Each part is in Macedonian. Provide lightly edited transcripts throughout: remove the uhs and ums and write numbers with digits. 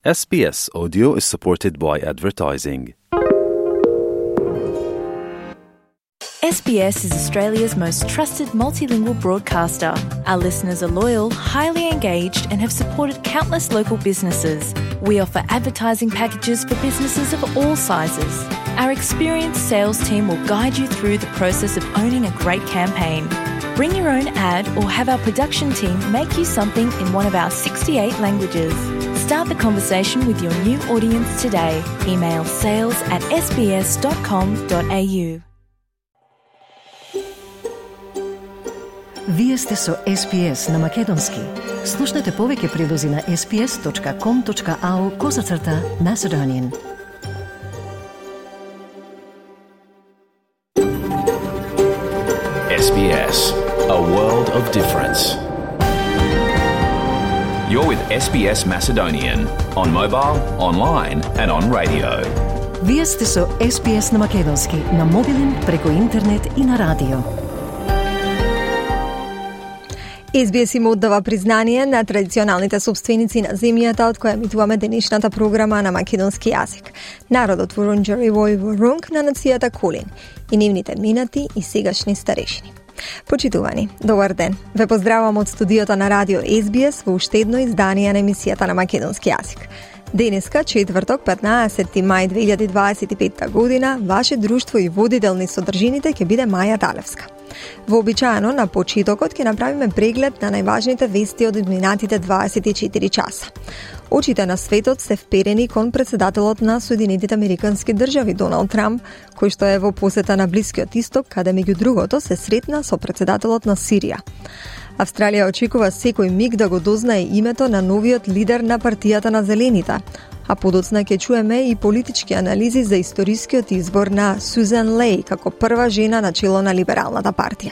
SBS Audio is supported by advertising. SBS is Australia's most trusted multilingual broadcaster. Our listeners are loyal, highly engaged, and have supported countless local businesses. We offer advertising packages for businesses of all sizes. Our experienced sales team will guide you through the process of owning a great campaign. Bring your own ad or have our production team make you something in one of our 68 languages. Start the conversation with your new audience today. Email sales@sbs.com.au. Вие сте со SBS на Македонски. Слушнете повеќе прилози на sbs.com.au/Macedonian. SBS, a world of difference. You're with SBS Macedonian on mobile, online and on radio. Вие сте со SBS на Македонски на мобилен, преку интернет и на радио. SBS им оддава признание на традиционалните собственици на земјата од која емитуваме денешната програма на македонски јазик. Народот Вурунџери во Вурунг на нацијата Кулин и нивните минати и сегашни старешини. Почитувани, добар ден. Ве поздравам од студиото на радио SBS во уште едно издание на емисијата на македонски јазик. Денеска, четврток, 15 мај 2025 година, ваше друштво и водител низ содржините ќе биде Маја Далевска. Вообичаено на почетокот ќе направиме преглед на најважните вести од изминатите 24 часа. Очите на светот се вперени кон председателот на Соединетите Американски држави Доналд Трамп, кој што е во посета на Блискиот Исток, каде меѓу другото се сретна со председателот на Сирија. Австралија очекува секој миг да го дознае името на новиот лидер на партијата на Зелените, а подоцна ќе чуеме и политички анализи за историскиот избор на Сузан Леј како прва жена на чело на Либералната партија.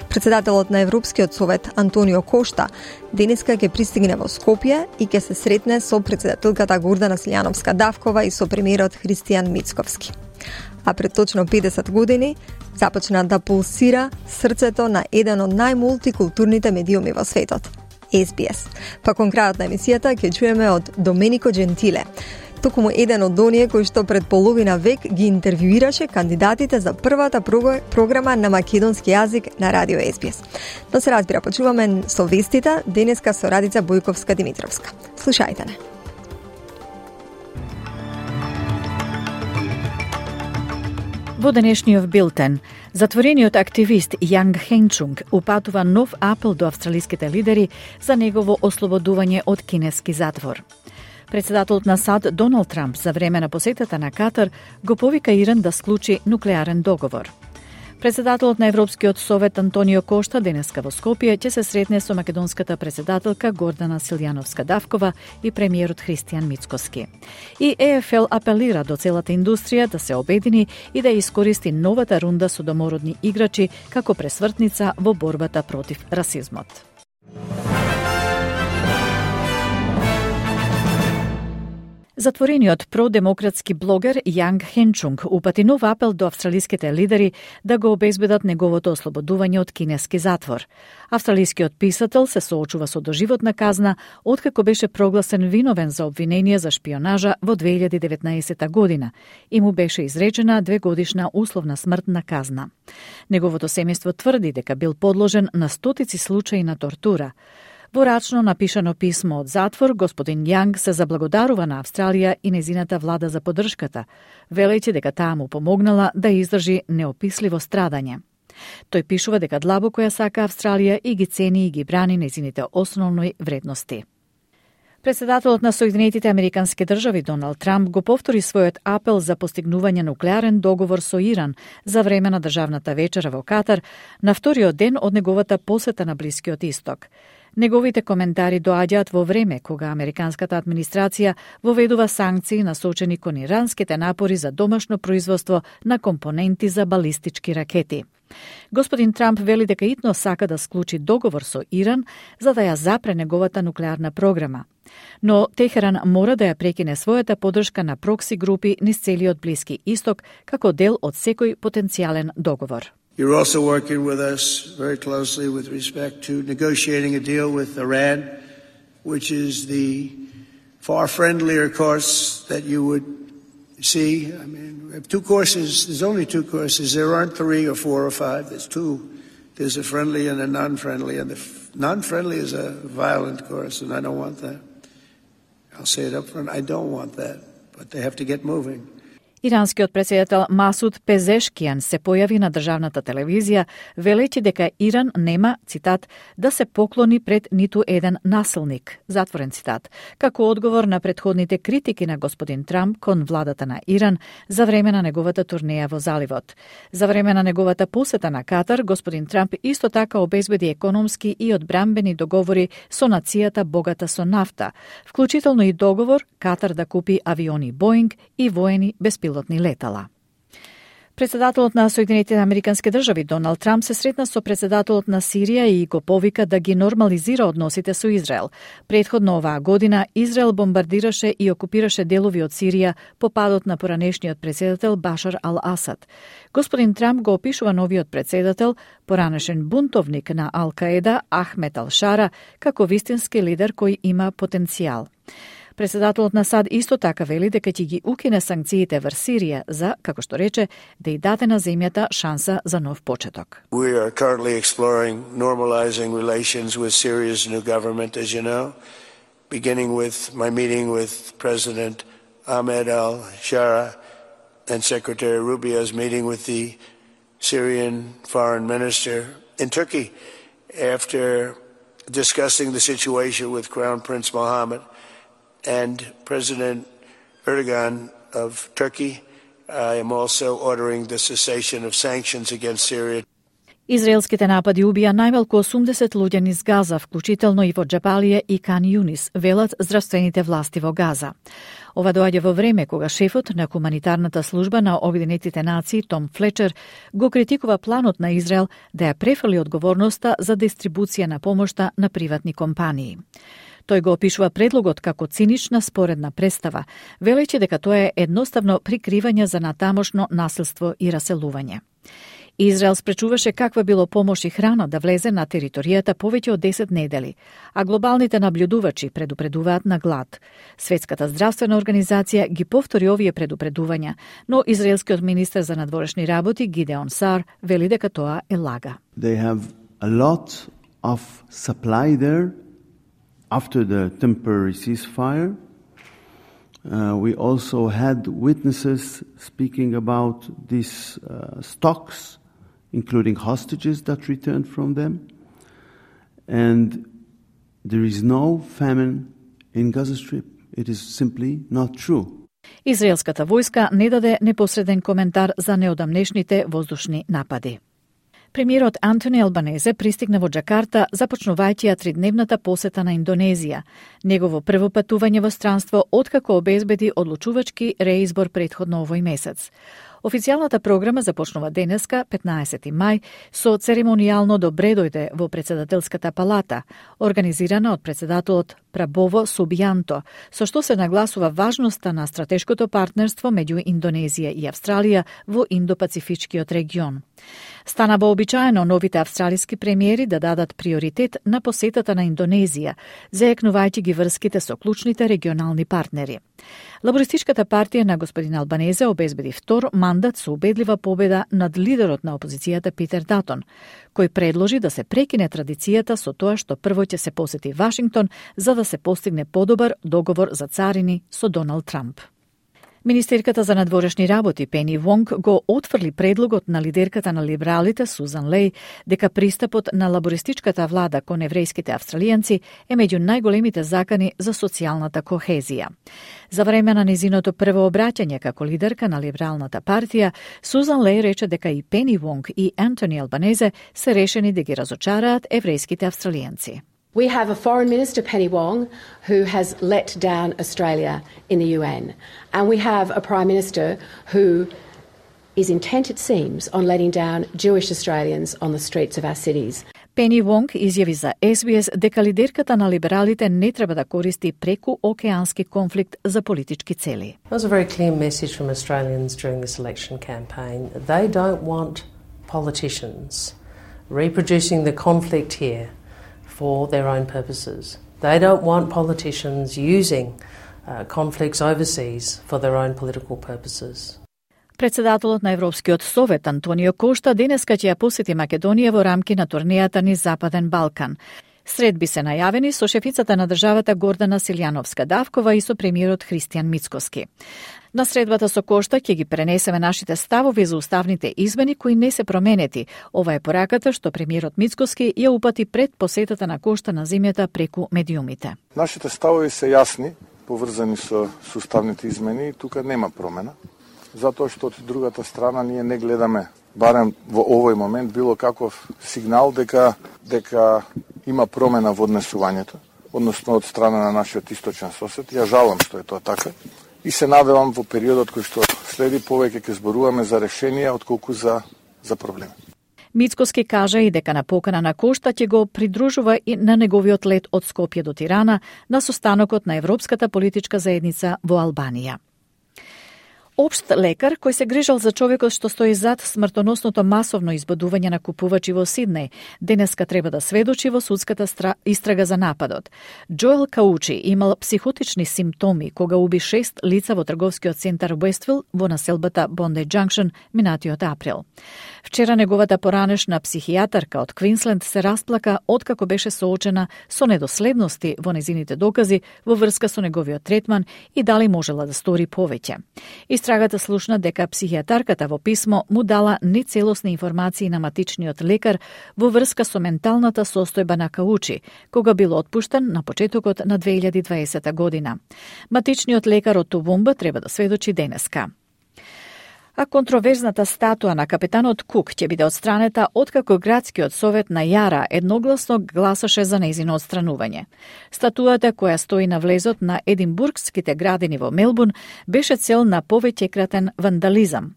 Председателот на Европскиот совет Антонио Кошта денеска ќе пристигне во Скопје и ќе се сретне со председателката Гордана Силјановска-Давкова и со премиерот Христијан Мицковски. А пред точно 50 години започна да пулсира срцето на еден од најмултикултурните медиуми во светот – SBS. Па кон крајот на емисијата ќе чуеме од Доменико Джентиле, токму еден од оние кои што пред половина век ги интервјуираше кандидатите за првата програма на македонски јазик на радио SBS. Но се разбира, почуваме со вестите денеска со Радица Бојковска-Димитровска. Слушајте не. Во денешниот билтен, затворениот активист Јанг Хенчунг упатува нов апел до австралиските лидери за негово ослободување од кинески затвор. Председателот на САД Доналд Трамп за време на посетата на Катар го повика Иран да склучи нуклеарен договор. Председателот на Европскиот совет Антонио Кошта денеска во Скопје ќе се сретне со македонската председателка Гордана Силјановска-Давкова и премиерот Христијан Мицковски. И ЕФЛ апелира до целата индустрија да се обедини и да искористи новата рунда со домородни играчи како пресвртница во борбата против расизмот. Затворениот продемократски блогер Јанг Хенчунг упати нов апел до австралиските лидери да го обезбедат неговото ослободување од кинески затвор. Австралискиот писател се соочува со доживотна казна откако беше прогласен виновен за обвинение за шпионажа во 2019 година и му беше изречена 2-годишна условна смртна казна. Неговото семејство тврди дека бил подложен на стотици случаи на тортура. Во рачно напишано писмо од затвор, господин Јанг се заблагодарува на Австралија и незината влада за поддршката, велејќи дека таа му помогнала да издржи неописливо страдање. Тој пишува дека длабоко ја сака Австралија и ги цени и ги брани незините основни вредности. Председателот на Соединетите Американски држави Доналд Трамп го повтори својот апел за постигнување нуклеарен договор со Иран за време на државната вечера во Катар на вториот ден од неговата посета на Блискиот Исток. Неговите коментари доаѓаат во време кога американската администрација воведува санкции насочени кон иранските напори за домашно производство на компоненти за балистички ракети. Господин Трамп вели дека итно сака да склучи договор со Иран за да ја запре неговата нуклеарна програма. Но Техеран мора да ја прекине својата поддршка на прокси групи низ целиот Блиски Исток како дел од секој потенцијален договор. You're also working with us very closely with respect to negotiating a deal with Iran, which is the far friendlier course that you would see. I mean, we have two courses. There's only two courses. There aren't 3 or 4 or 5. There's two. There's a friendly and a non-friendly, and the non-friendly is a violent course, and I don't want that. I'll say it up front. I don't want that, but they have to get moving. Иранскиот претседател Масуд Пезешкијан се појави на државната телевизија велејќи дека Иран нема, цитат, да се поклони пред ниту еден насилник, затворен цитат, како одговор на претходните критики на господин Трамп кон владата на Иран за време на неговата турнеја во заливот. За време на неговата посета на Катар, господин Трамп исто така обезбеди економски и одбранбени договори со нацијата богата со нафта, вклучително и договор Катар да купи авиони Боинг и воени беспилотни летала. Председателот на Соединетите американски држави Доналд Трамп се сретна со председателот на Сирија и го повика да ги нормализира односите со Израел. Претходно оваа година Израел бомбардираше и окупираше делови од Сирија по падот на поранешниот председател Башар ал-Асад. Господин Трамп го опишува новиот председател, поранешен бунтовник на Ал-Каеда Ахмед ал-Шара, како вистински лидер кој има потенцијал. Председателот на САД исто така вели дека ќе ги укине санкциите врз Сирија за, како што рече, да и даде на земјата шанса за нов почеток. We are currently exploring normalizing relations with Syria's new government, as you know, beginning with my meeting with President Ahmed al-Shara and Secretary Rubio's meeting with the Syrian foreign minister in Turkey after discussing the situation with Crown Prince Mohammed and President Erdogan of Turkey. I am also ordering the cessation of sanctions against Syria. Израелските напади убија најмалку 80 луѓе низ Газа, вклучително и во Џабалија и Кан Юнис, велат здравствените власти во Газа. Ова доаѓа во време кога шефот на хуманитарната служба на Обединетите нации Том Флечер го критикува планот на Израел да ја префрли одговорноста за дистрибуција на помошта на приватни компании. Тој го опишува предлогот како цинична споредна представа, велејќи дека тоа е едноставно прикривање за натамошно насилство и раселување. Израел спречуваше каква било помош и храна да влезе на територијата повеќе од 10 недели, а глобалните наблюдувачи предупредуваат на глад. Светската здравствена организација ги повтори овие предупредувања, но израелскиот министер за надворешни работи Гидеон Сар вели дека тоа е лага. They have a lot of supply there. After the temporary ceasefire, we also had witnesses speaking about these stocks, including hostages that returned from them. And there is no famine in Gaza Strip. It is simply not true. Израелската војска не даде непосреден коментар за неодамнешните воздушни напади. Премиерот Антони Албанезе пристигна во Џакарта, започнувајќи ја 3-дневната посета на Индонезија, негово прво патување во странство откако обезбеди одлучувачки реизбор претходно овој месец. Официјалната програма започнува денеска, 15 мај, со церемонијално добредојде во председателската палата, организирана од председателот Прабово Субијанто, со што се нагласува важноста на стратешкото партнерство меѓу Индонезија и Австралија во Индо-Пацифичкиот регион. Стана вообичаено новите австралиски премиери да дадат приоритет на посетата на Индонезија, заекнувајќи ги врските со клучните регионални партнери. Лабористичката партија на господин Албанезе обезбеди втор мандат со убедлива победа над лидерот на опозицијата Питер Датон, кој предложи да се прекине традицијата со тоа што прво ќе се посети Вашингтон за да се постигне подобар договор за царини со Доналд Трамп. Министерката за надворешни работи Пени Вонг го отфрли предлогот на лидерката на либералите Сузан Леј дека пристапот на лабористичката влада кон еврејските австралијанци е меѓу најголемите закани за социјалната кохезија. За време на незиното прво обраќање како лидерка на либералната партија, Сузан Леј рече дека и Пени Вонг и Антони Албанезе се решени да ги разочараат еврејските австралијанци. We have a Foreign Minister, Penny Wong, who has let down Australia in the UN. And we have a Prime Minister who is intent, it seems, on letting down Jewish Australians on the streets of our cities. Пени Вонг изјави за SBS дека лидерката на либералите не треба да користи преку-океански конфликт за политички цели. There was a very clear message from Australians during this election campaign. They don't want politicians reproducing the conflict here for their own purposes. They don't want politicians using conflicts overseas for their own political purposes. Председателот на Европскиот совет Антонио Кошта денеска ќе ја посети Македонија во рамки на турнејата низ Западен Балкан. Средби се најавени со шефицата на државата Гордана Силјановска-Давкова и со премиерот Христијан Мицкоски. На средбата со Кошта ќе ги пренесеме нашите ставови за уставните измени кои не се променети. Ова е пораката што премиерот Мицкоски ја упати пред посетата на Кошта на земјата преку медиумите. Нашите ставови се јасни, поврзани со уставните измени и тука нема промена. Затоа што од другата страна ние не гледаме, барем во овој момент, било каков сигнал дека има промена во однесувањето, односно од страна на нашиот источен сосед. Ја жалам што е тоа така и се надевам во периодот кој што следи повеќе ќе зборуваме за решенија отколку за проблеми. Мицкоски кажа и дека на покана на Кошта ќе го придружува и на неговиот лет од Скопје до Тирана на состанокот на Европската политичка заедница во Албанија. Општ лекар кој се грижал за човекот што стои зад смртоносното масовно избодување на купувачи во Сиднеј, денеска треба да сведочи во судската истрага за нападот. Джоел Каучи имал психотични симптоми кога уби 6 лица во трговскиот центар Уествил во населбата Бонди Джанкшн минатиот април. Вчера неговата поранешна психијатарка од Квинсленд се расплака откако беше соочена со недоследности во незините докази во врска со неговиот третман и дали можела да стори повеќе. Истрагата слушна дека психијатарката во писмо му дала нецелосни информации на матичниот лекар во врска со менталната состојба на Каучи, кога бил отпуштен на почетокот на 2020 година. Матичниот лекар од Тувумба треба да сведочи денеска. А контроверзната статуа на капитанот Кук ќе биде отстранета откако градскиот совет на Јара едногласно гласаше за нејзино отстранување. Статуата која стои на влезот на Единбургските градини во Мелбурн беше цел на повеќекратен вандализам.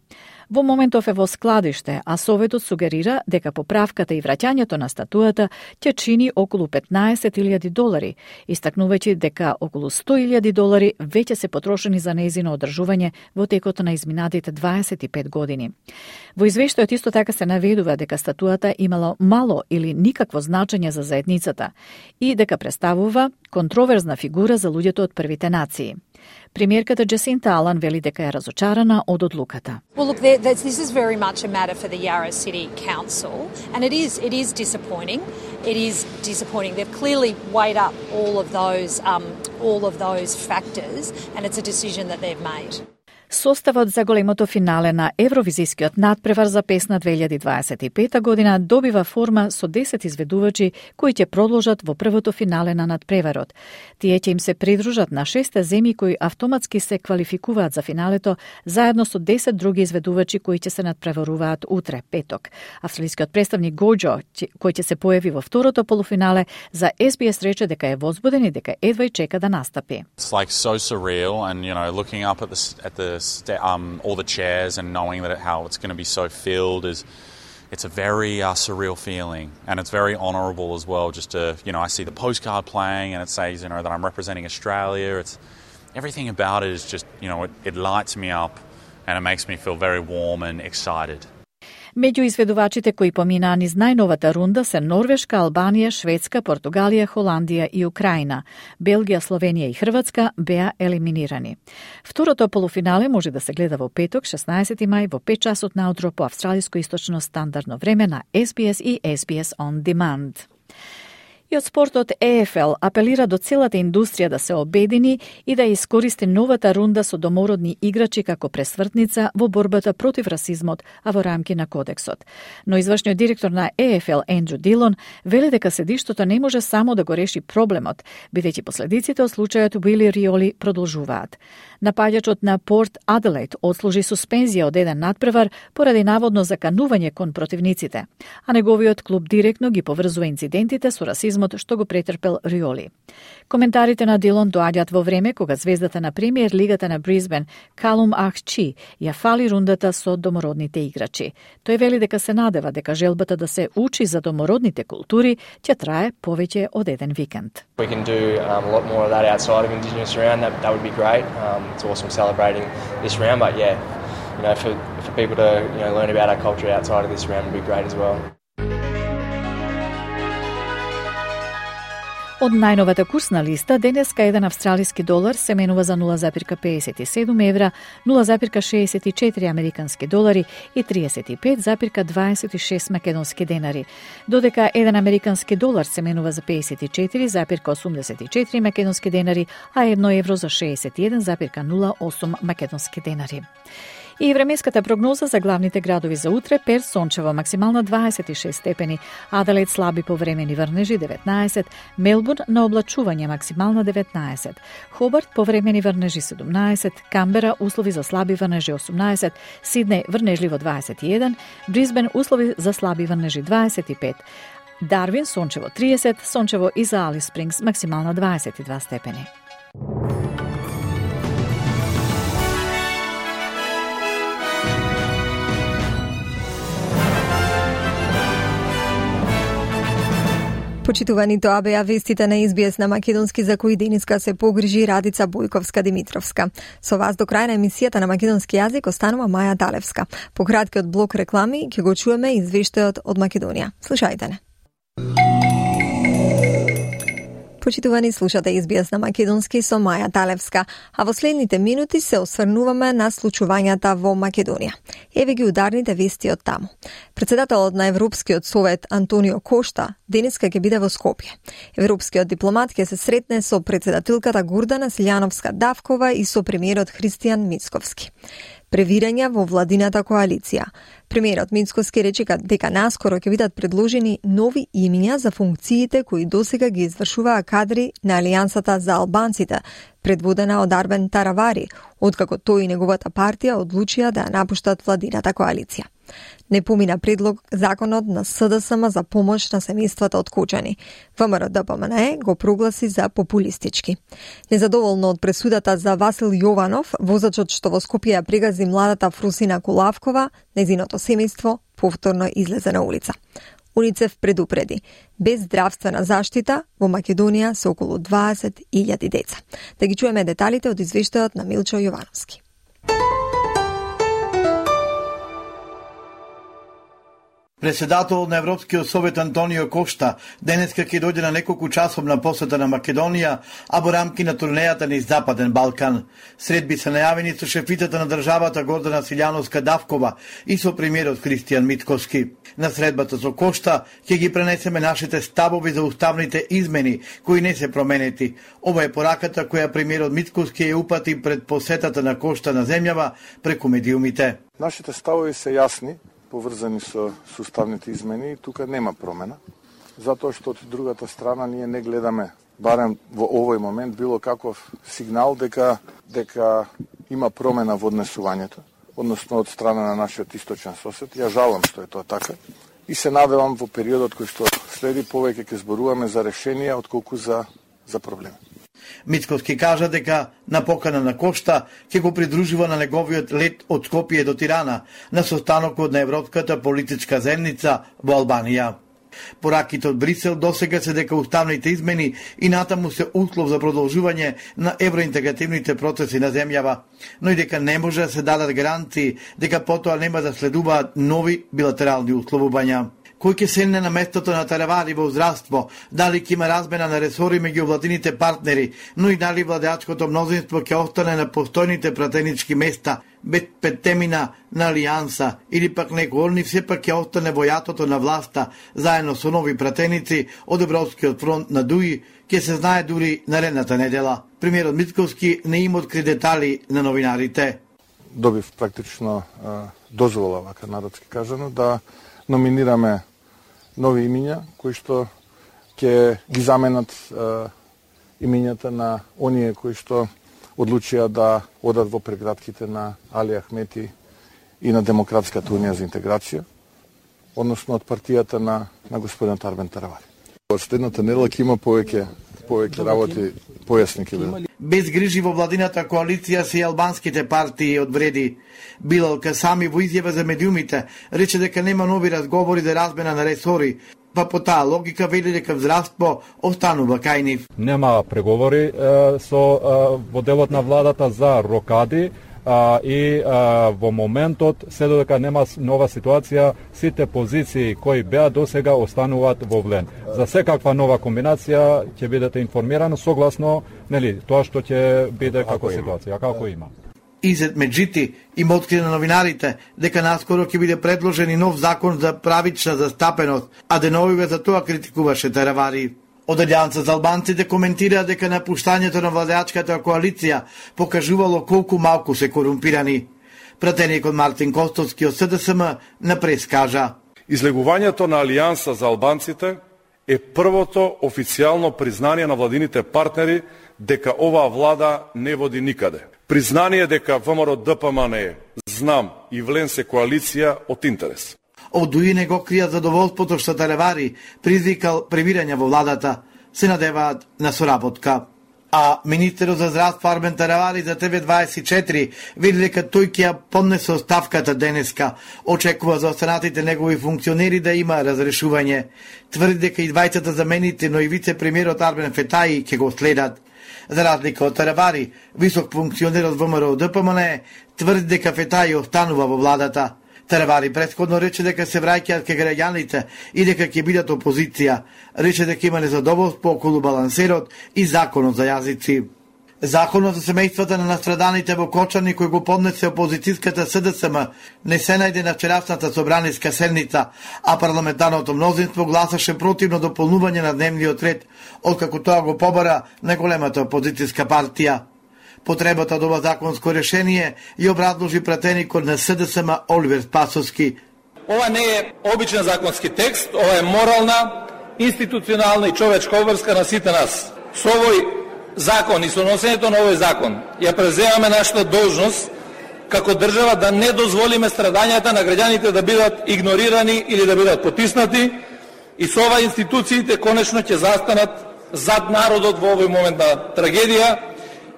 Во моментов е во складиште, а советот сугерира дека поправката и враќањето на статуата ќе чини околу $15,000, истакнувајќи дека околу $100,000 веќе се потрошени за нејзино одржување во текот на изминатите 25 години. Во извештајот исто така се наведува дека статуата имала мало или никакво значење за заедницата и дека представува контроверзна фигура за луѓето од првите нации. Премиерката Джасинта Алан вели дека е разочарана од одлуката. Well, look, this is very much a matter for the Yarra City Council, and it is disappointing. It is disappointing. They've clearly weighed up all of those factors, and it's a decision that they've made. Составот за големото финале на Евровизискиот надпревар за песна 2025 година добива форма со 10 изведувачи кои ќе продолжат во првото финале на надпреварот. Тие ќе им се придружат на 6 земји кои автоматски се квалификуваат за финалето, заедно со 10 други изведувачи кои ќе се надпреваруваат утре, петок. Австралискиот представник Гоџо, кој ќе се појави во второто полуфинале, за SBS рече дека е возбуден и дека едва чека да настапи. It's like so surreal and looking up at the all the chairs and knowing that how it's going to be so filled it's a very surreal feeling, and it's very honourable as well. Just to I see the postcard playing and it says that I'm representing Australia. It's everything about it is just it lights me up and it makes me feel very warm and excited. Меѓу изведувачите кои поминаа низ најновата рунда се Норвешка, Албанија, Шведска, Португалија, Холандија и Украина. Белгија, Словенија и Хрватска беа елиминирани. Второто полуфинале може да се гледа во петок, 16 мај, во 5 часот наутро по австралиско источно стандардно време на SBS и SBS On Demand. И од спортот EFL апелира до целата индустрија да се обедини и да искористи новата рунда со домородни играчи како пресвртница во борбата против расизмот, а во рамки на кодексот. Но извршниот директор на EFL Ендрю Дилон вели дека седиштото не може само да го реши проблемот, бидејќи последиците од случајот Уили Риоли продолжуваат. Напаѓачот на Порт Аделаид отслужи суспензија од еден надпревар поради наводно заканување кон противниците, а неговиот клуб директно ги поврзува инцидентите со расизмот што го претрпел Риоли. Коментарите на Дилон доаѓаат во време кога звездата на премиер лигата на Брисбен Калум Ахчи ја фали рундата со домородните играчи. Тој вели дека се надева дека желбата да се учи за домородните култури ќе трае повеќе од еден викенд. We can do a lot more of that outside of Indigenous round. That would be great. It's awesome celebrating this round, but for people to learn about our culture outside of this round would be great as well. Од најновата курсна листа, денеска еден австралиски долар се менува за 0,57 евра, 0,64 американски долари и 35,26 македонски денари, додека еден американски долар се менува за 54,84 македонски денари, а 1 евро за 61,08 македонски денари. И временската прогноза за главните градови за утре: Перт сончево, максимална 26 степени, Аделаид слаби повремени врнежи 19, Мелбурн на облачување максимална 19, Хобарт повремени врнежи 17, Камбера услови за слаби врнежи 18, Сиднеј врнежливо 21, Брисбен услови за слаби врнежи 25, Дарвин сончево 30, сончево и за Алис Спрингс максимална 22 степени. Почитувани, тоа беа вестите на SBS на македонски, за кои денеска се погрижи Радица Бојковска-Димитровска. Со вас до крај на емисијата на македонски јазик останува Маја Далевска. По краткиот блок реклами ќе го чуеме извештајот од Македонија. Слушајте не. Почитувани, слушате SBS на македонски со Маја Талевска, а во следните минути се осврнуваме на случувањата во Македонија. Еве ги ударните вести од таму. Председателот на Европскиот совет Антонио Кошта денеска ќе биде во Скопје. Европскиот дипломат ќе се сретне со председателката Гордана Силјановска-Давкова и со премиерот Христијан Мицковски. Превирања во владината коалиција. Премиерот Мицковски рече дека наскоро ќе бидат предложени нови имиња за функциите кои досега ги извршуваа кадри на Алијансата за албанците, предводена од Арбен Таравари, откако тој и неговата партија одлучија да ја напуштат владината коалиција. Не помина предлог законот на СДСМ за помош на семејствата од Кочани. ВМРО-ДПМНЕ го прогласи за популистички. Незадоволно од пресудата за Васил Јованов, возачот што во Скопје ја прегази младата Фрусина Кулавкова, незиното семејство повторно излезе на улица. УНИЦЕФ предупреди: без здравствена заштита во Македонија се околу 20.000 деца. Да ги чуеме деталите од извештајот на Милчо Јовановски. Председател на Европскиот совет Антонио Кошта денеска ќе дојде на неколку часовна посета на Македонија, а во рамки на турнејата низ Западен Балкан. Средби се најавени со шефицата на државата Гордана Силјановска-Давкова и со премиерот Христијан Мицковски. На средбата со Кошта ќе ги пренесеме нашите ставови за уставните измени кои не се променети. Ова е пораката која премиерот Мицковски ја упати пред посетата на Кошта на земјава преку медиумите. Нашите ставови се јасни, поврзани со уставните измени, и тука нема промена, затоа што од другата страна ние не гледаме, барем во овој момент, било каков сигнал дека има промена во однесувањето, односно од страна на нашиот источен сосед. Ја жалам што е тоа така и се надевам во периодот кој што следи повеќе ќе зборуваме за решенија отколку за проблеми. Мицковски кажа дека на покана на Кошта ќе го придружува на неговиот лет од Скопје до Тирана на состанокот на Европската политичка заедница во Албанија. Пораките од Брисел досега се дека уставните измени и натаму се услов за продолжување на евроинтегративните процеси на земјава, но и дека не може да се дадат гаранции дека потоа нема да следуваат нови билатерални условувања. Кој ќе седне на местото на Таравари во здравство, дали ќе има размена на ресори меѓу владините партнери, но и дали владеачкото мнозинство ќе остане на постојните пратенички места, без петтемина на Алијанса, или пак некој од нив сепак ќе остане во јатото на власта, заедно со нови пратеници од Европскиот фронт на Дуи, ќе се знае дури наредната недела. Премиерот Мицковски не им откри детали на новинарите. Добив практично дозвола, вака народски кажано, да номинираме нови имиња кои што ќе ги заменат имињата на оние кои што одлучија да одат во прегратките на Али Ахмети и на Демократската унија за интеграција, односно од партијата на господин Арбен Таравари. Од следната недела ќе има повеќе работи, појасни ќе бидат. Без грижи во владината коалиција се и албанските партии одвреди. Билал Касами во изјава за медиумите рече дека нема нови разговори за размена на ресори, па по таа логика вели дека здравство останува кај нив. Нема преговори во делот на владата за рокади, и во моментот, се додека нема нова ситуација, сите позиции кои беа досега остануваат во влен. За секаква нова комбинација ќе бидете информирани согласно тоа што ќе биде како ситуација, како има. Изет Меджити им откри на новинарите дека наскоро ќе биде предложен и нов закон за правична застапеност, а деновиве за тоа критикуваше Таравари. Од Алијанса за албанците коментира дека напуштањето на владеачката коалиција покажувало колку малку се корумпирани. Пратеникот Мартин Костовски од СДСМ на прес кажа: Излегувањето на Алијанса за албанците е првото официјално признание на владините партнери дека оваа влада не води никаде. Признание дека ВМРО ДПМН е, знам и влен се коалиција од интерес. Од УИ не го крија задоволството што Таравари призвикал премирање во владата, се надеваат на соработка. А министерот за здравство Армен Таравари за ТВ24 вели дека тој ќе поднесе оставката денеска. Очекува за останатите негови функционери да има разрешување. Тврди дека и двајцата замените, но и вице-премиерот Армен Фетаи ќе го следат. За разлика од Таравари, висок функционер од ВМРО ДПМН тврди дека Фетаи останува во владата. Таравари претходно рече дека се враќаат кај граѓаните и дека ќе бидат опозиција. Рече дека има незадоволство околу балансерот и законот за јазици. Законот за семејствата на настраданите во Кочани кој го поднесе опозицијската СДСМ не се најде на вчерашната собраниска седница, а парламентарното мнозинство гласаше противно дополнување на дневниот ред, откако тоа го побара на големата опозицијска партија. Потребата од ова законско решение ја образложи пратеникот на СДСМ Оливер Спасовски. Ова не е обичен законски текст, ова е морална, институционална и човечка обврска на сите нас. Со овој закон и со носењето на овој закон ја преземаме нашата должност како држава да не дозволиме страдањата на граѓаните да бидат игнорирани или да бидат потиснати и со ова институциите конечно ќе застанат зад народот во овој момент на трагедија.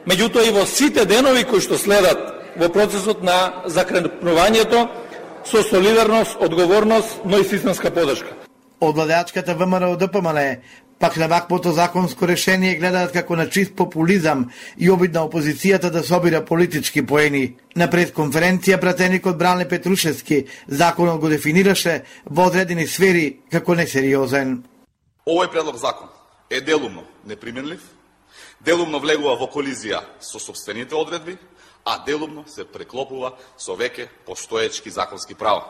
Меѓутоа и во сите денови кои што следат во процесот на закренувањето со солидарност, одговорност, но и системска подршка. Од владеачката ВМРО ДПМН пак на ваквото законско решение гледаат како на чист популизам и обид на опозицијата да собира политички поени. На пресконференција пратеникот Бране Петрушевски законот го дефинираше во одредени сфери како несериозен. Овој предлог закон е делумно неприменлив, делумно влегува во колизија со сопствените одредби, а делумно се преклопува со веќе постоечки законски права.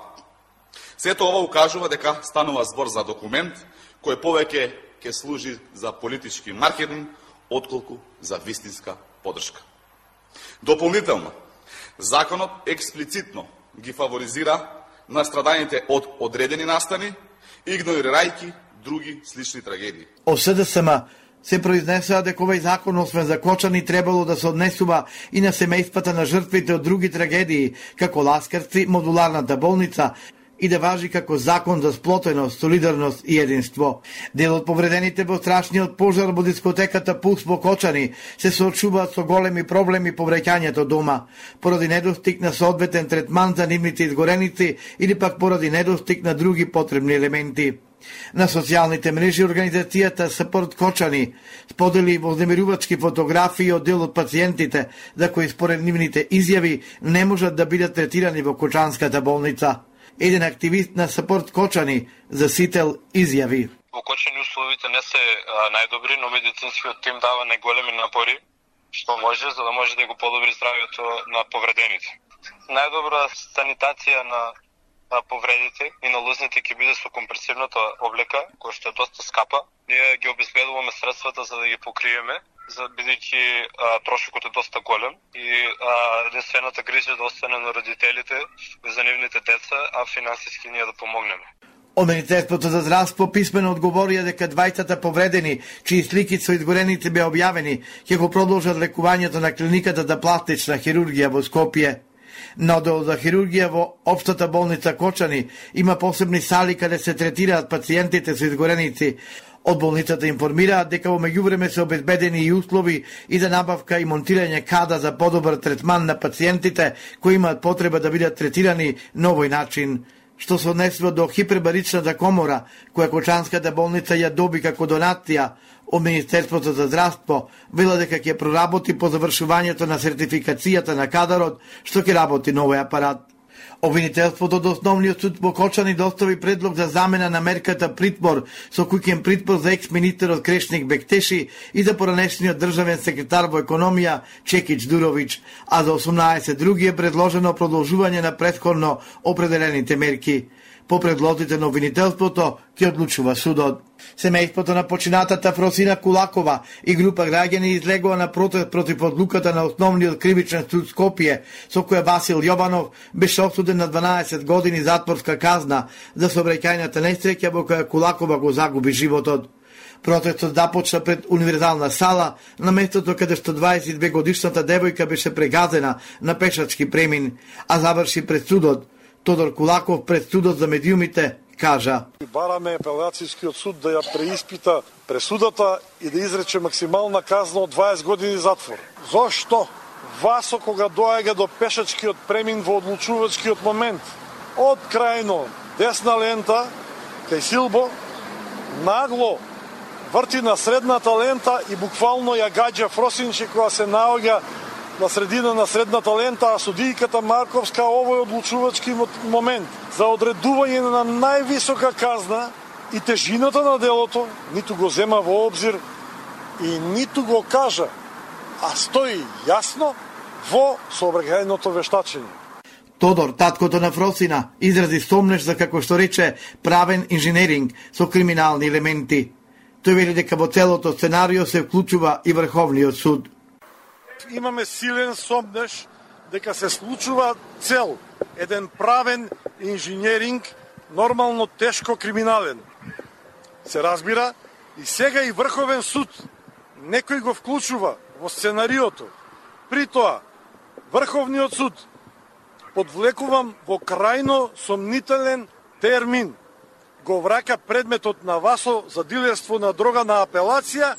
Сето ова укажува дека станува збор за документ кој повеќе ќе служи за политички маркетинг, отколку за вистинска подршка. Дополнително, законот експлицитно ги фаворизира настраданите од одредени настани, игнорирајќи други слични трагедии. О СДСМ се произнесува дека овој закон освен за Кочани требало да се однесува и на семејствата на жртвите од други трагедии, како Ласкарци, модуларната болница, и да важи како закон за сплотеност, солидарност и единство. Дел од повредените во страшниот пожар во дискотеката Пулс во Кочани се соочуваат со големи проблеми по враќањето дома, поради недостиг на соодветен третман за нивните изгореници или пак поради недостиг на други потребни елементи. На социјалните мрежи организацијата Support Кочани сподели вознемирувачки фотографии од дел од пациентите за кои според нивните изјави не можат да бидат третирани во Кочанската болница. Еден активист на Support Кочани за Сител изјави: Во Кочани условите не се најдобри, но медицинскиот тим дава најголеми напори што може за да може да го подобри здравјето на повредените. Најдобра санитација на повредите и на лозните ќе биде со компресивната облека, која што е доста скапа. Ние ги обезбедуваме средствата за да ги покриеме, бидејќи трошокот е доста голем и единствената грижа да остане на родителите за нивните деца, а финансиски ние да помогнеме. Од Министерството за здравство писмено одговорија дека двајцата повредени, чии слики со изгореници беа објавени, ќе го продолжат лекувањето на клиниката за пластична хирургија во Скопје. На оддел за хирургија во Општата болница Кочани има посебни сали каде се третираат пациентите со изгореници. Од болницата информираат дека во меѓувреме се обезбедени и услови и за набавка и монтирање када за подобар третман на пациентите кои имаат потреба да бидат третирани на овој начин. Што се однесува до хипербаричната комора, која Кочанската болница ја доби како донација, Од Министерството за здравство вела дека ќе проработи по завршувањето на сертификацијата на кадарот што ќе работи новој апарат. Обвинителството до Основниот суд во Кочани достави предлог за замена на мерката притвор со куќен притвор за екс-министерот Крешник Бектеши и за поранешниот државен секретар во економија Чекич Дурович, а за 18 други е предложено продолжување на претходно определените мерки. По предлозите на обвинителството ќе одлучува судот. Семејството на починатата Фросина Кулакова и група граѓани излегува на протест против одлуката на Основниот кривичен суд Скопје, со која Васил Јованов беше осуден на 12 години затворска казна за сообраќајната несреќа во која Кулакова го загуби животот. Протестот започна пред универзална сала, на местото каде што 22 годишната девојка беше прегазена на пешачки премин, а заврши пред судот. Тодор Кулаков пред судот за медиумите кажа: бараме апелацијскиот суд да ја преиспита пресудата и да изрече максимална казна од 20 години затвор. Зошто Васо кога доаѓа до пешачкиот премин во одлучувачкиот момент од крајно десна лента кај Силбо нагло врти на средната лента и буквално ја гаѓа Фросинче која се наоѓа на средина на средната лента, а судијката Марковска овој одлучувачки момент за одредување на највисока казна и тежината на делото ниту го зема во обзир и ниту го кажа, а стои јасно во сообраќајното вештачење. Тодор, таткото на Фросина, изрази сомнеш за, како што рече, правен инженеринг со криминални елементи. Тој вели дека во целото сценарио се вклучува и Врховниот суд. Имаме силен сомнеш дека се случува цел еден правен инженеринг, нормално тешко криминален. Се разбира, и сега и Врховен суд некој го вклучува во сценариото. При тоа, Врховниот суд подвлекувам во крајно сомнителен термин го враќа предметот на Васо за дилерство на дрога на апелација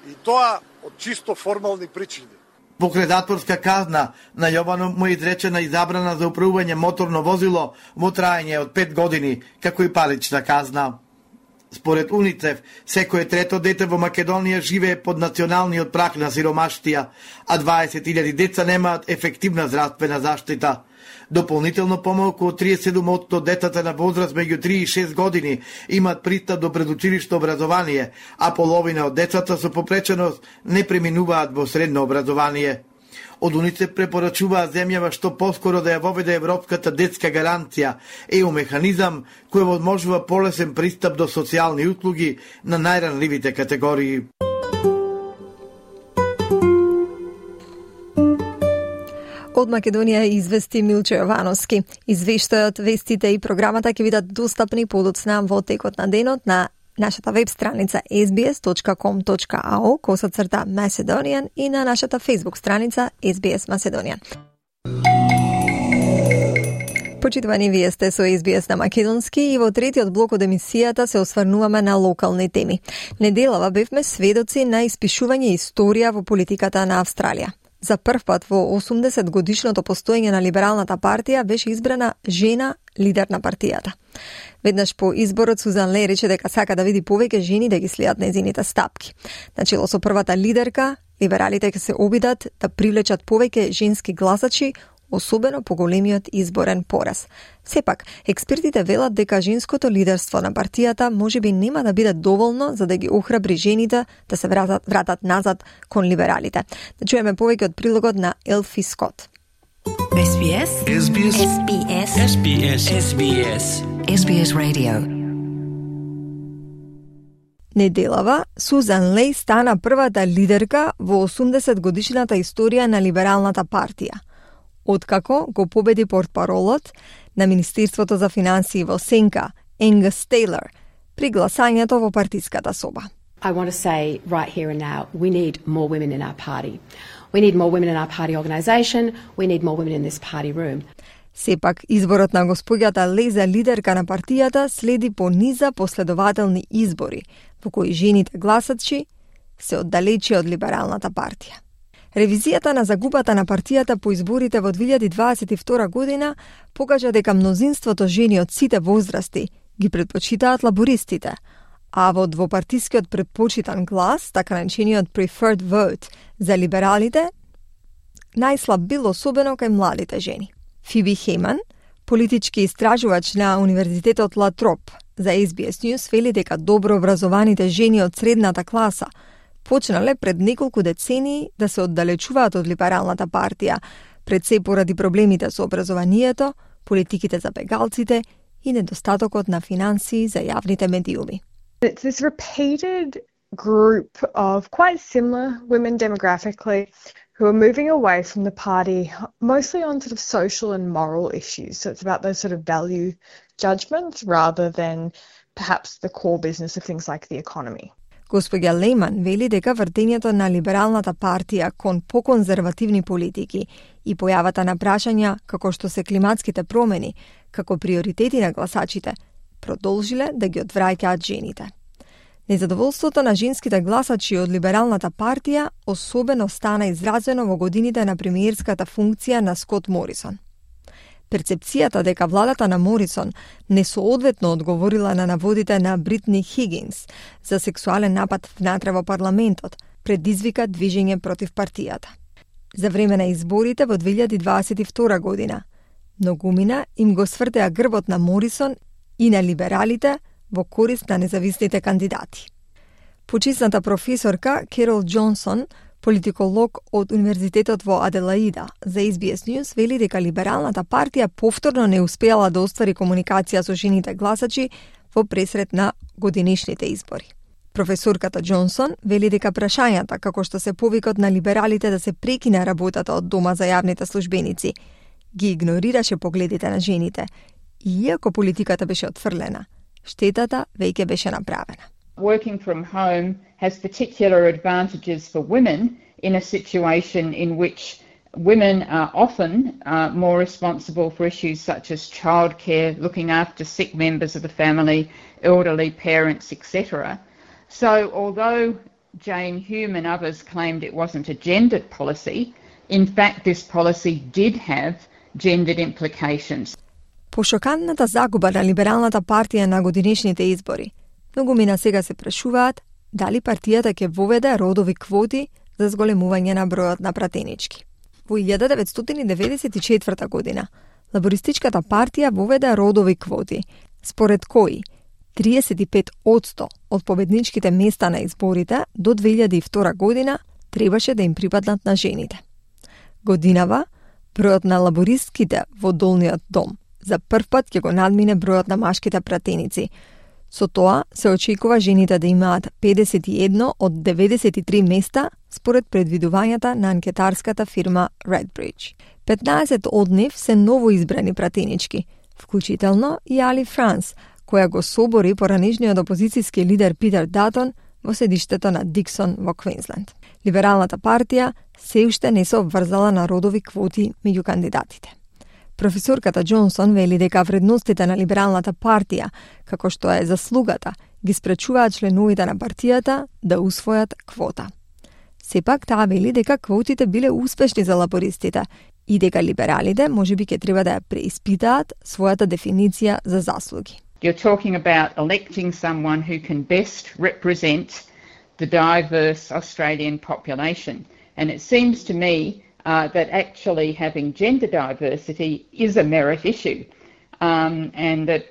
и тоа од чисто формални причини. Покрај затворска казна, на Јованов му е изречена и забрана за управување моторно возило во траење од 5 години, како и парична казна. Според УНИЦЕФ, секое трето дете во Македонија живее под националниот праг на сиромаштија, а 20.000 деца немаат ефективна здравствена заштита. Дополнително помалку од 37% детата на возраст меѓу 3 и 6 години имаат пристап до предучилишно образование, а половина од децата со попреченост не преминуваат во средно образование. Од УНИЦЕФ препорачуваат земјава што поскоро да ја воведе Европската детска гаранција, ЕУ механизам кој возможува полесен пристап до социјални услуги на најранливите категории. Од Македонија извести Милчо Јовановски. Извештајот, вестите и програмата ќе бидат достапни подоцна во текот на денот на нашата веб страница sbs.com.au/Macedonian и на нашата Facebook страница SBS Macedonian. Почитувани, вие сте со SBS на македонски и во третиот блок од емисијата се осврнуваме на локални теми. Неделава бевме сведоци на испишување историја во политиката на Австралија. За прв пат во 80 годишното постоење на Либералната партија беше избрана жена лидер на партијата. Веднаш по изборот Сузан Лей рече дека сака да види повеќе жени да ги следат нејзините стапки. Начело со првата лидерка, либералите ќе се обидат да привлечат повеќе женски гласачи, особено по големиот изборен пораз. Сепак, експертите велат дека женското лидерство на партијата можеби нема да биде доволно за да ги охрабри жените да се вратат назад кон либералите. Да чуеме повеќе од прилогот на Елфи Скот. SBS SBS SBS SBS SBS SBS Radio. Неделава, Сузан Лей стана првата лидерка во 80 годишната историја на Либералната партија, откако го победи портпаролот на Министерството за финансии во Сенка, Енгас Тейлор, при гласањето во партиската соба. I want to say right here and now, we need more women in our party. We need more women in our party organisation. We need more women in this party room. Сепак, изборот на господјата Лей за лидерка на партијата следи по низа последователни избори, во кои жените гласачи се оддалечи од Либералната партија. Ревизијата на загубата на партијата по изборите во 2022 година покажа дека мнозинството жени од сите возрасти ги претпочитаат лабористите, а во двопартискиот предпочитан глас, така наречениот preferred vote за либералите, најслаб бил особено кај младите жени. Фиби Хейман, политички истражувач на Универзитетот Ла Троп, за SBS News вели дека добро образованите жени од средната класа почнале пред неколку децении да се оддалечуваат од либералната партија, пред се поради проблемите со образованието, политиките за бегалците и недостатокот на финансии за јавните медиуми. It's this repeated group of quite similar women demographically who are moving away from the party, mostly on sort of social and moral issues. So it's about those sort of value judgments rather than perhaps the core business of things like the economy. Господја Лейман вели дека вртењето на либералната партија кон поконзервативни политики и појавата на прашања како што се климатските промени како приоритети на гласачите продолжиле да ги одвраќаат жените. Незадоволството на женските гласачи од либералната партија особено стана изразено во годините на премиерската функција на Скот Морисон. Перцепцијата дека владата на Морисон несоодветно одговорила на наводите на Бритни Хигинс за сексуален напад внатре во парламентот предизвика движење против партијата. За време на изборите во 2022 година, многумина им го свртеа грбот на Морисон и на либералите во корист на независните кандидати. Почисната професорка Керол Џонсон, политиколог од Универзитетот во Аделаида, за SBS News вели дека либералната партија повторно не успеала да оствари комуникација со жените гласачи во пресрет на годинишните избори. Професорката Џонсон вели дека прашањата како што се повикот на либералите да се прекине работата од дома за јавните службеници ги игнорираше погледите на жените, иако политиката беше отфрлена. Штетата веќе беше направена. Working from home has particular advantages for women in a situation in which women are often more responsible for issues such as childcare, looking after sick members of the family, elderly parents, etc. So although Jane Hume and others claimed it wasn't a gendered policy, in fact this policy did have gendered implications. По шокантната загуба на либералната партија на годинешните избори, многумина сега се прашуваат дали партијата ќе воведе родови квоти за зголемување на бројот на пратенички. Во 1994 година, лабористичката партија воведе родови квоти, според кои 35% од победничките места на изборите до 2002 година требаше да им припаднат на жените. Годинава, бројот на лабористките во долниот дом за прв пат ќе го надмине бројот на машките пратеници. Со тоа се очекува жените да имаат 51 од 93 места според предвидувањата на анкетарската фирма Redbridge. 15 од нив се новоизбрани пратенички, вклучително и Али Франс, која го собори поранешниот опозицијски лидер Питер Датон во седиштето на Диксон во Квинсленд. Либералната партија се уште не се обврзала на родови квоти меѓу кандидатите. Професорката Џонсон вели дека вредностите на либералната партија, како што е заслугата, ги спречуваат членовите на партијата да усвојат квота. Сепак таа вели дека квотите биле успешни за лабористите и дека либералите можеби ќе треба да ја преиспитаат својата дефиниција за заслуги. You're talking about electing someone who can best represent the diverse Australian population. And it seems to me that actually having gender diversity is a merit issue, and that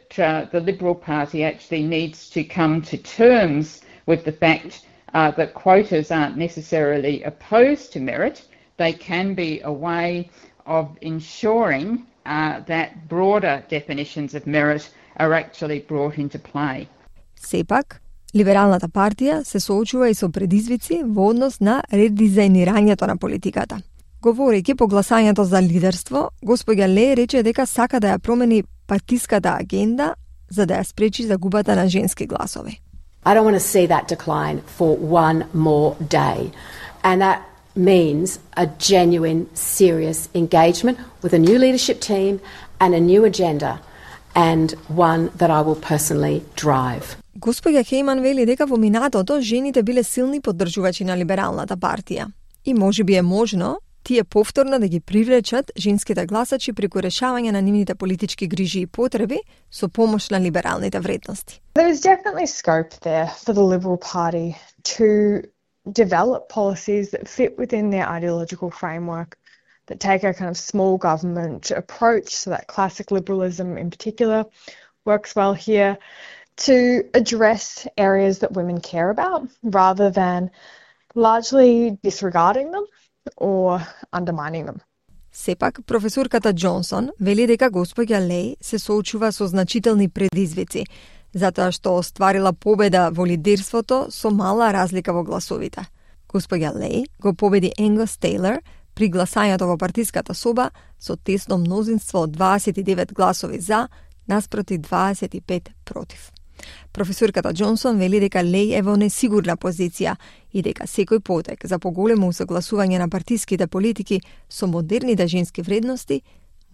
the Liberal Party actually needs to come to terms with the fact that quotas aren't necessarily opposed to merit. They can be a way of ensuring that broader definitions of merit are actually brought into play. Сепак, либералната партија се соочува и со предизвици во однос на редизајнирањето на политиката. Говорејќи по гласањето за лидерство, господја Ле рече дека сака да ја промени партиската агенда за да ја спречи загубата на женски гласови. I don't want to see that decline for one more day. And that means a genuine, serious engagement with a new leadership team and a new agenda, and one that I will personally drive. Господја Хейман вели дека во минатото жените биле силни поддржувачи на либералната партија и можеби е можно тие повторно да ги привлечат женските гласачи преку решавање на нивните политички грижи и потреби со помош на либералните вредности. There is definitely scope there for the Liberal Party to develop policies that fit within their ideological framework, that take a kind of small government approach, so that classic liberalism in particular works well here, to address areas that women care about rather than largely disregarding them or undermining them. Сепак, професорката Џонсон вели дека госпоѓа Леј се соочува со значителни предизвици, затоа што остварила победа во лидерството со мала разлика во гласовите. Госпоѓа Леј го победи Енгос Тейлор при гласањето во партиската соба со тесно мнозинство од 29 гласови за, наспроти 25 против. Професорката Џонсон вели дека Леј е во несигурна позиција и дека секој потек за поголемо усогласување на партиските политики со модерните женски вредности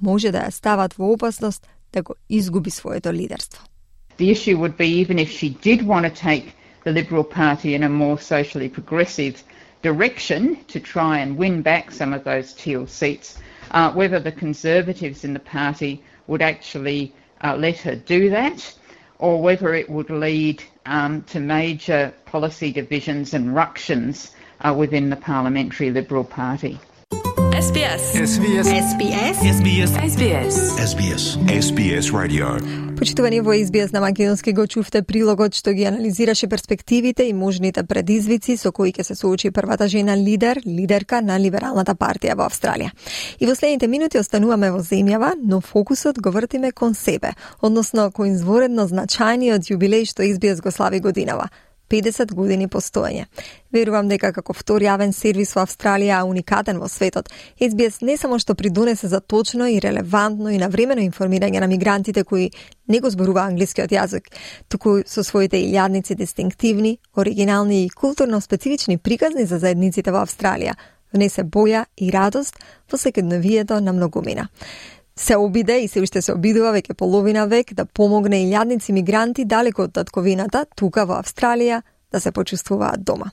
може да ја стават во опасност да го изгуби своето лидерство. The issue would be, even if she did want to take the Liberal Party in a more socially progressive direction to try and win back some of those teal seats, whether the Conservatives in the party would actually let her do that, or whether it would lead to major policy divisions and ructions within the Parliamentary Liberal Party. SBS. SBS. SBS. SBS. SBS. SBS. SBS Radio. Почитувани во SBS на македонски го чувте прилогот што ги анализираше перспективите и можните предизвици со кои ќе се соочи првата жена лидерка на Либералната партија во Австралија. И во следните минути остануваме во земјава, но фокусот го вртиме кон себе, односно кон изворедно значајниот јубилеј што SBS го слави годинава. 50 години постоење. Верувам дека како втор јавен сервис во Австралија, уникатен во светот, SBS не само што придонесе за точно и релевантно и навремено информирање на мигрантите кои не го зборува англискиот јазик, туку со своите илјадници дистинктивни, оригинални и културно специфични приказни за заедниците во Австралија, внесе боја и радост во секојдневието на многумина. Се обиде и се уште се обидува веќе половина век да помогне илјадници мигранти далеко од татковината, тука во Австралија, да се почувствуваат дома.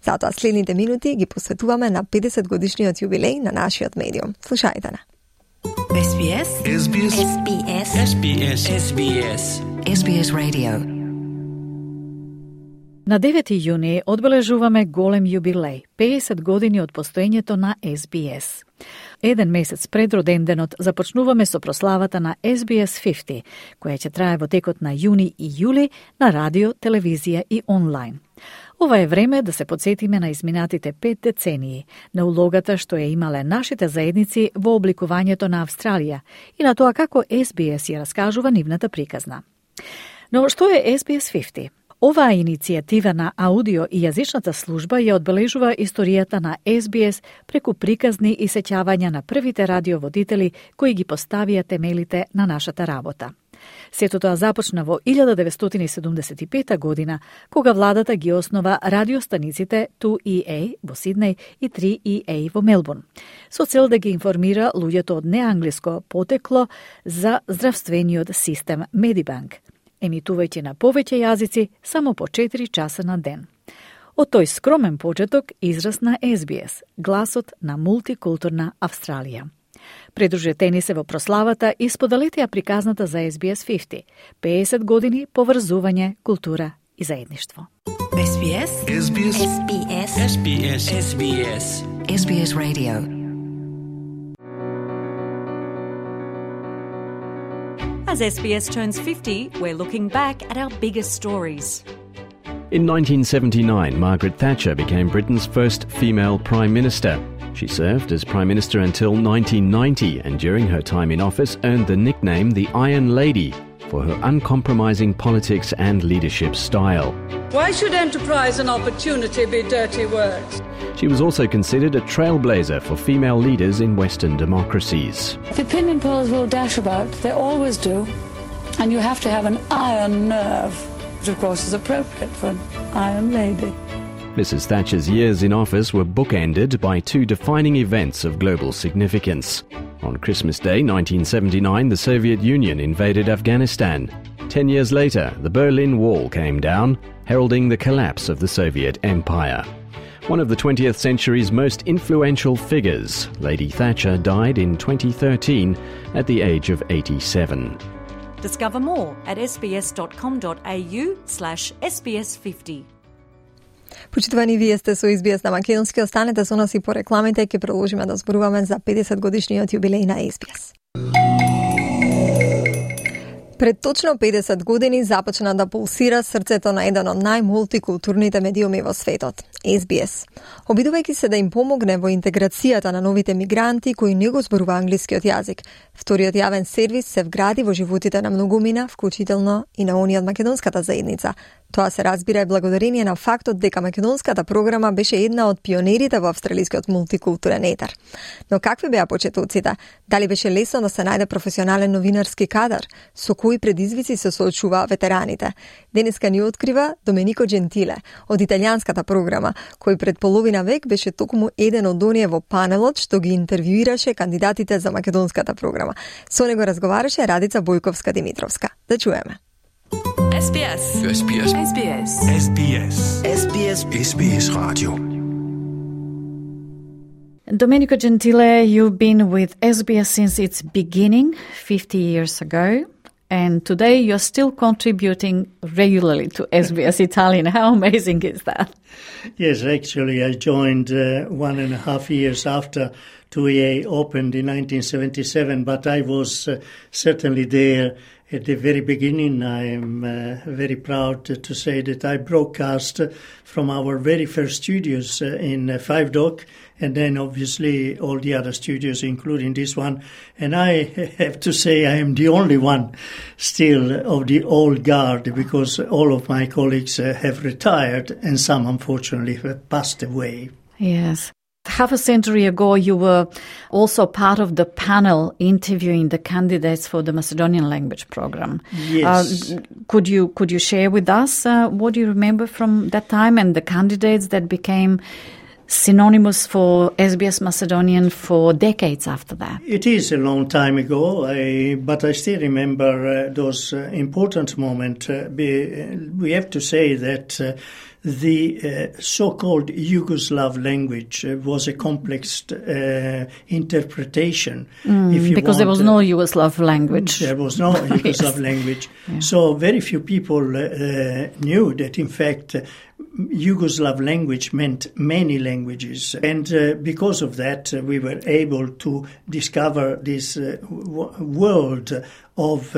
Затоа следните минути ги посветуваме на 50 годишниот јубилеј на нашиот медиум. Слушајте на. SBS. SBS. SBS. SBS. SBS. SBS Radio. На 9 јуни одбележуваме голем јубилеј, 50 години од постоењето на SBS. Еден месец пред роденденот започнуваме со прославата на SBS 50, која ќе трае во текот на јуни и јули на радио, телевизија и онлайн. Ова е време да се подсетиме на изминатите 5 децении, на улогата што ја имале нашите заедници во обликувањето на Австралија и на тоа како SBS ја раскажува нивната приказна. Но што е SBS 50? Оваа иницијатива на аудио и јазичната служба ја одбележува историјата на SBS преку приказни и сеќавања на првите радиоводители кои ги поставија темелите на нашата работа. Сето тоа започна во 1975 година, кога владата ги основа радиостаниците 2EA во Сиднеј и 3EA во Мелбурн, со цел да ги информира луѓето од неанглиско потекло за здравствениот систем Медибанк, емитувајќи на повеќе јазици само по 4 часа на ден. Од тој скромен почеток израсна SBS, гласот на мултикултурна Австралија. Придружете ни се во прославата и споделете ја приказната за SBS 50, 50 години поврзување, култура и заедништво. SBS. SBS. SBS. SBS. SBS. SBS Radio. As SBS turns 50, we're looking back at our biggest stories. In 1979, Margaret Thatcher became Britain's first female Prime Minister. She served as Prime Minister until 1990 and during her time in office earned the nickname the Iron Lady for her uncompromising politics and leadership style. Why should enterprise and opportunity be dirty words? She was also considered a trailblazer for female leaders in Western democracies. The opinion polls will dash about, they always do, and you have to have an iron nerve, which of course is appropriate for an Iron Lady. Mrs. Thatcher's years in office were bookended by two defining events of global significance. On Christmas Day 1979, the Soviet Union invaded Afghanistan. 10 years later, the Berlin Wall came down, heralding the collapse of the Soviet Empire. one of the 20th century's most influential figures. Lady Thatcher died in 2013 at the age of 87. Discover more at sbs.com.au/sbs50. Почитувани, вие сте со SBS на македонски. Останете со нас и по рекламите, ќе продолжиме да зборуваме за 50 годишниот јубилеј на SBS. Пред точно 50 години започна да пулсира срцето на еден од најмултикултурните медиуми во светот – SBS. Обидувајќи се да им помогне во интеграцијата на новите мигранти кои не го зборува англискиот јазик, вториот јавен сервис се вгради во животите на многумина, вклучително и на оние од македонската заедница. Тоа се разбира и благодарение на фактот дека македонската програма беше една од пионерите во австралискиот мултикултурен етер. Но какви беа почетоците? Дали беше лесно да се најде професионален новинарски кадар? Со кои предизвици се соочуваа ветераните? Денеска ни открива Доменико Джентиле од италијанската програма, кој пред половина век беше токму еден од оние во панелот што ги интервјуираше кандидатите за македонската програма. Со него разговараше Радица Бојковска-Димитровска. Да чуеме. SBS. SBS. SBS. SBS. SBS. SBS Radio. Domenico Gentile, you've been with SBS since its beginning, 50 years ago, and today you're still contributing regularly to SBS Italian. How amazing is that? Yes, actually I joined 1.5 years after 2EA opened in 1977, but I was certainly there at the very beginning. I am very proud to say that I broadcast from our very first studios in Five Dock, and then obviously all the other studios, including this one. And I have to say I am the only one still of the old guard, because all of my colleagues have retired and some unfortunately have passed away. Yes. Half a century ago, you were also part of the panel interviewing the candidates for the Macedonian language program. Yes. Could you share with us what do you remember from that time and the candidates that became synonymous for SBS Macedonian for decades after that? It is a long time ago, but I still remember those important moments. We have to say that the so-called Yugoslav language was a complex interpretation. Because there was no Yugoslav language. There was no Yugoslav language. Yeah. So very few people knew that, in fact, Yugoslav language meant many languages. And because of that, we were able to discover this world of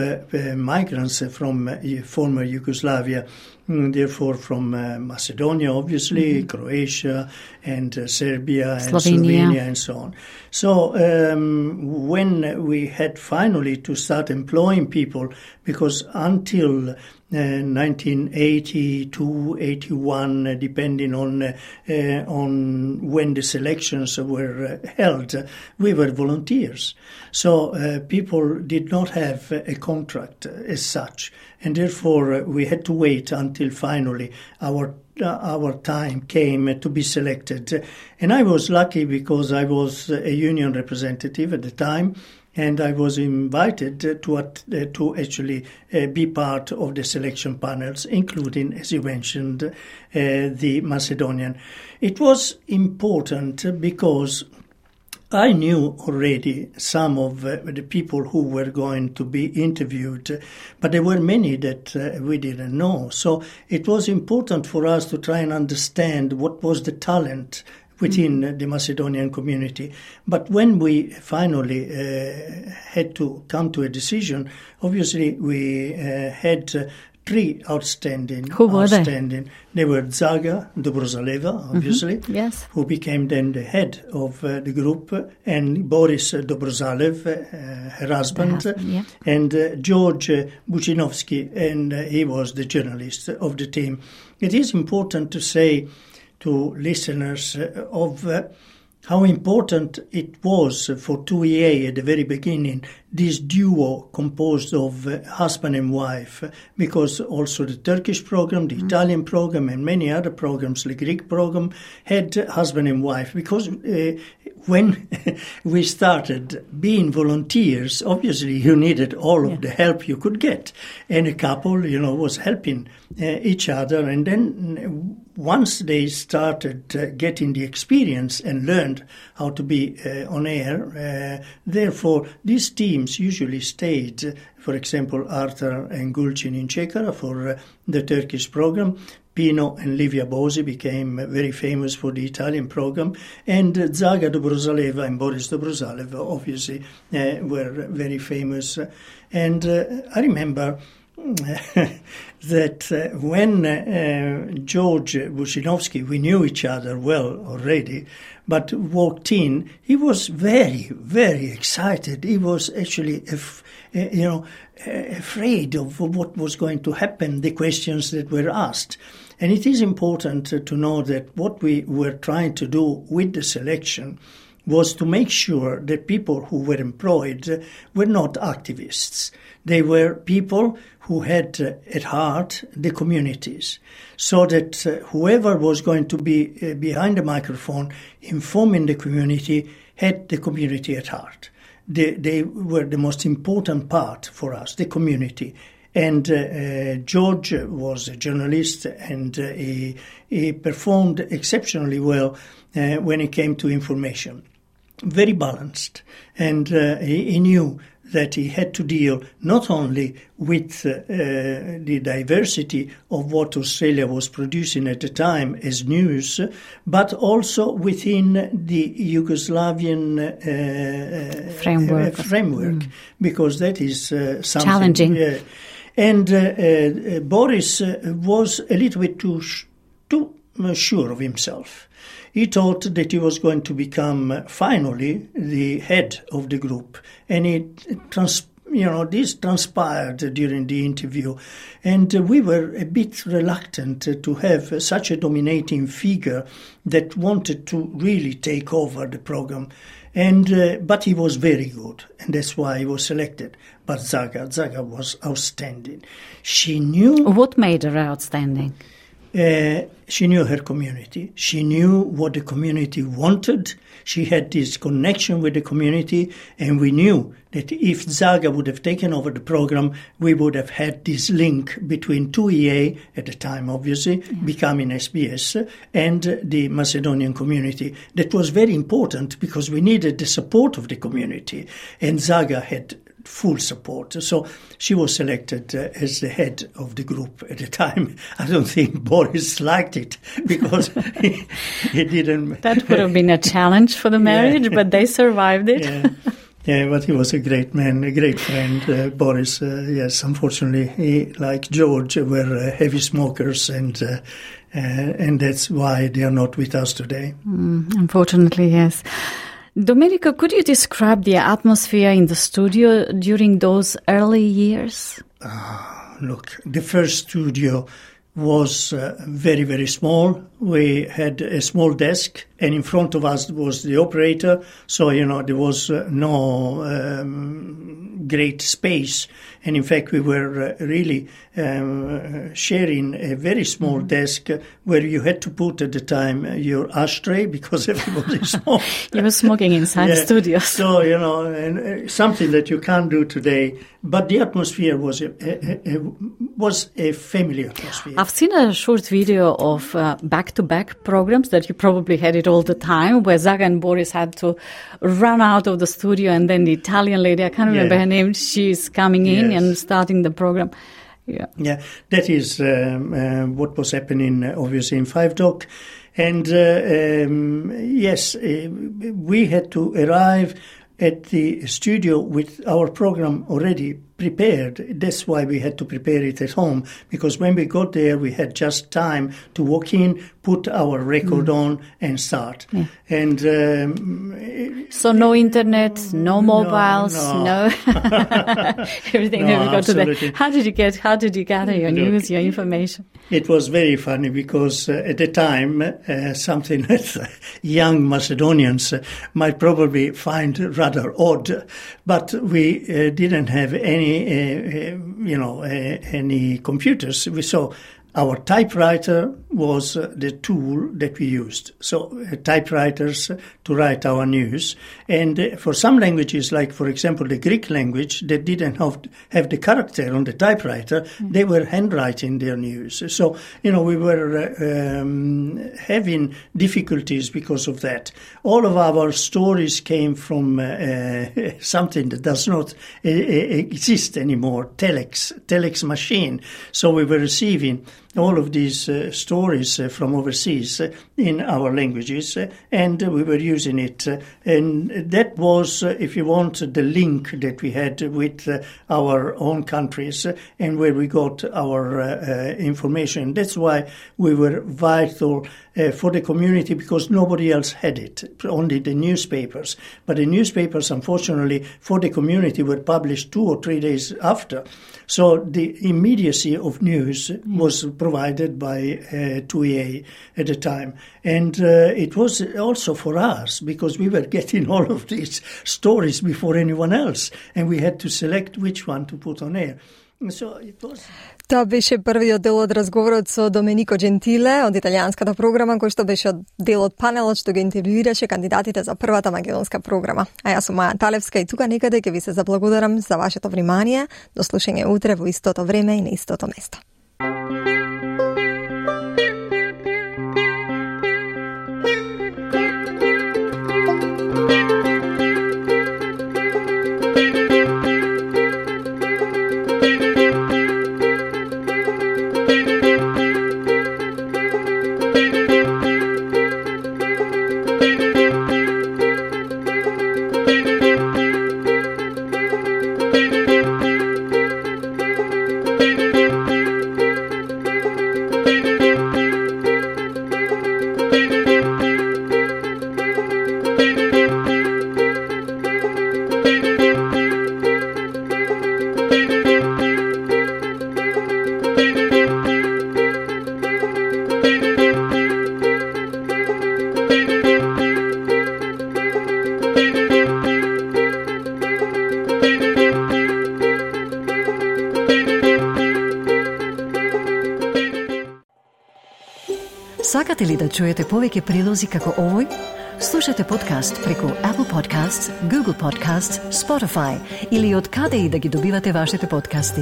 migrants from former Yugoslavia, therefore from Macedonia, obviously, Croatia, and Serbia, and Slovenia, and so on. So when we had finally to start employing people, because until 1982, 81, depending on when the selections were held, we were volunteers. So people did not have a contract as such, and therefore we had to wait until finally our time came to be selected. And I was lucky because I was a union representative at the time, and I was invited to actually be part of the selection panels, including, as you mentioned, the Macedonian. It was important because I knew already some of the people who were going to be interviewed, but there were many that we didn't know. So it was important for us to try and understand what was the talent within the Macedonian community. But when we finally had to come to a decision, obviously we had three outstanding. Who were they? They were Zaga Dobrozaleva, obviously, yes, who became then the head of the group, and Boris Dobrozalev, her husband, and George Bucinovsky, and he was the journalist of the team. It is important to say to listeners of how important it was for 2EA at the very beginning, this duo composed of husband and wife, because also the Turkish program, the Italian program, and many other programs, the Greek program, had husband and wife. Because when we started being volunteers, obviously you needed all of the help you could get. And a couple, was helping each other. And then once they started getting the experience and learned how to be on air, therefore these teams usually stayed, for example, Arthur and Gulcin in Chekara for the Turkish program. Pino and Livia Bosi became very famous for the Italian program, and Zaga Dobrozaleva and Boris Dobrozalev obviously were very famous. And I remember that when George Bushinovsky, we knew each other well already, but walked in, he was very, very excited. He was actually, afraid of what was going to happen, the questions that were asked. And it is important to know that what we were trying to do with the selection was to make sure that people who were employed were not activists. They were people who had at heart the communities, so that whoever was going to be behind the microphone informing the community had the community at heart. They were the most important part for us, the community. And George was a journalist, and he performed exceptionally well when it came to information. Very balanced, and he knew that he had to deal not only with the diversity of what Australia was producing at the time as news, but also within the Yugoslavian framework, because that is something challenging. And Boris was a little bit too sure of himself. He thought that he was going to become finally the head of the group, and this transpired during the interview, and we were a bit reluctant to have such a dominating figure that wanted to really take over the program. But he was very good, and that's why he was selected. But Zaga was outstanding. She knew... What made her outstanding? She knew her community. She knew what the community wanted. She had this connection with the community, and we knew that if Zaga would have taken over the program, we would have had this link between 2EA, at the time obviously, becoming SBS, and the Macedonian community. That was very important because we needed the support of the community, and Zaga had full support. So she was selected as the head of the group at the time. I don't think Boris liked it because he didn't... That would have been a challenge for the marriage, but they survived it. Yeah, but he was a great man, a great friend. Boris, yes, unfortunately, he, like George, were heavy smokers, and that's why they are not with us today. Unfortunately, yes. Domenico, could you describe the atmosphere in the studio during those early years? Look, the first studio was very, very small. We had a small desk, and in front of us was the operator. So, there was no great space. And in fact, we were really sharing a very small desk where you had to put at the time your ashtray because everybody smoked. You were smoking inside the studio. So, and something that you can't do today. But the atmosphere was a family atmosphere. I've seen a short video of back-to-back programs that you probably had it all the time, where Zaga and Boris had to run out of the studio, and then the Italian lady, I can't remember her name, she's coming in and starting the program. Yeah, that is what was happening, obviously, in Five Dock. And yes, we had to arrive at the studio with our program already prepared. That's why we had to prepare it at home, because when we got there, we had just time to walk in, put our record on, and start. Yeah. And so no internet, no mobiles, no everything that we got today. How did you gather your news, your information? It was very funny because at the time, something that young Macedonians might probably find rather odd, but we didn't have any computers. So Our typewriter was the tool that we used. So typewriters to write our news. And for some languages, like for example the Greek language, that didn't have the character on the typewriter, they were handwriting their news. So, we were having difficulties because of that. All of our stories came from something that does not exist anymore, telex machine. So we were receiving all of these stories from overseas in our languages, and we were using it. And that was, if you want, the link that we had with our own countries and where we got our information. That's why we were vital for the community, because nobody else had it, only the newspapers. But the newspapers, unfortunately, for the community were published 2 or 3 days after. So the immediacy of news was provided by 2EA at the time. And it was also for us, because we were getting all of these stories before anyone else, and we had to select which one to put on air. So it was... Тоа беше првиот дел од разговорот со Доменико Джентиле од италијанската програма, кој што беше дел од панелот што ги интервјуираше кандидатите за првата македонска програма. А јас сум Маја Талевска и тука некаде ќе ви се заблагодарам за вашето внимание. До слушање утре во истото време и на истото место. Сакате ли да чуете повеќе прилози како овој? Слушате подкаст преку Apple Podcasts, Google Podcasts, Spotify или од каде и да ги добивате вашите подкасти.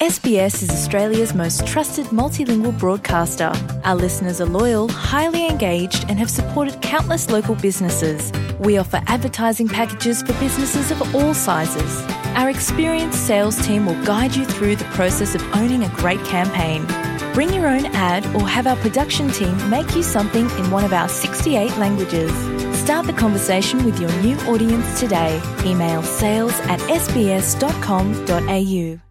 SBS is Australia's most trusted multilingual broadcaster. Our listeners are loyal, highly engaged, and have supported countless local businesses. We offer advertising packages for businesses of all sizes. Our experienced sales team will guide you through the process of owning a great campaign. Bring your own ad or have our production team make you something in one of our 68 languages. Start the conversation with your new audience today. Email sales@sbs.com.au.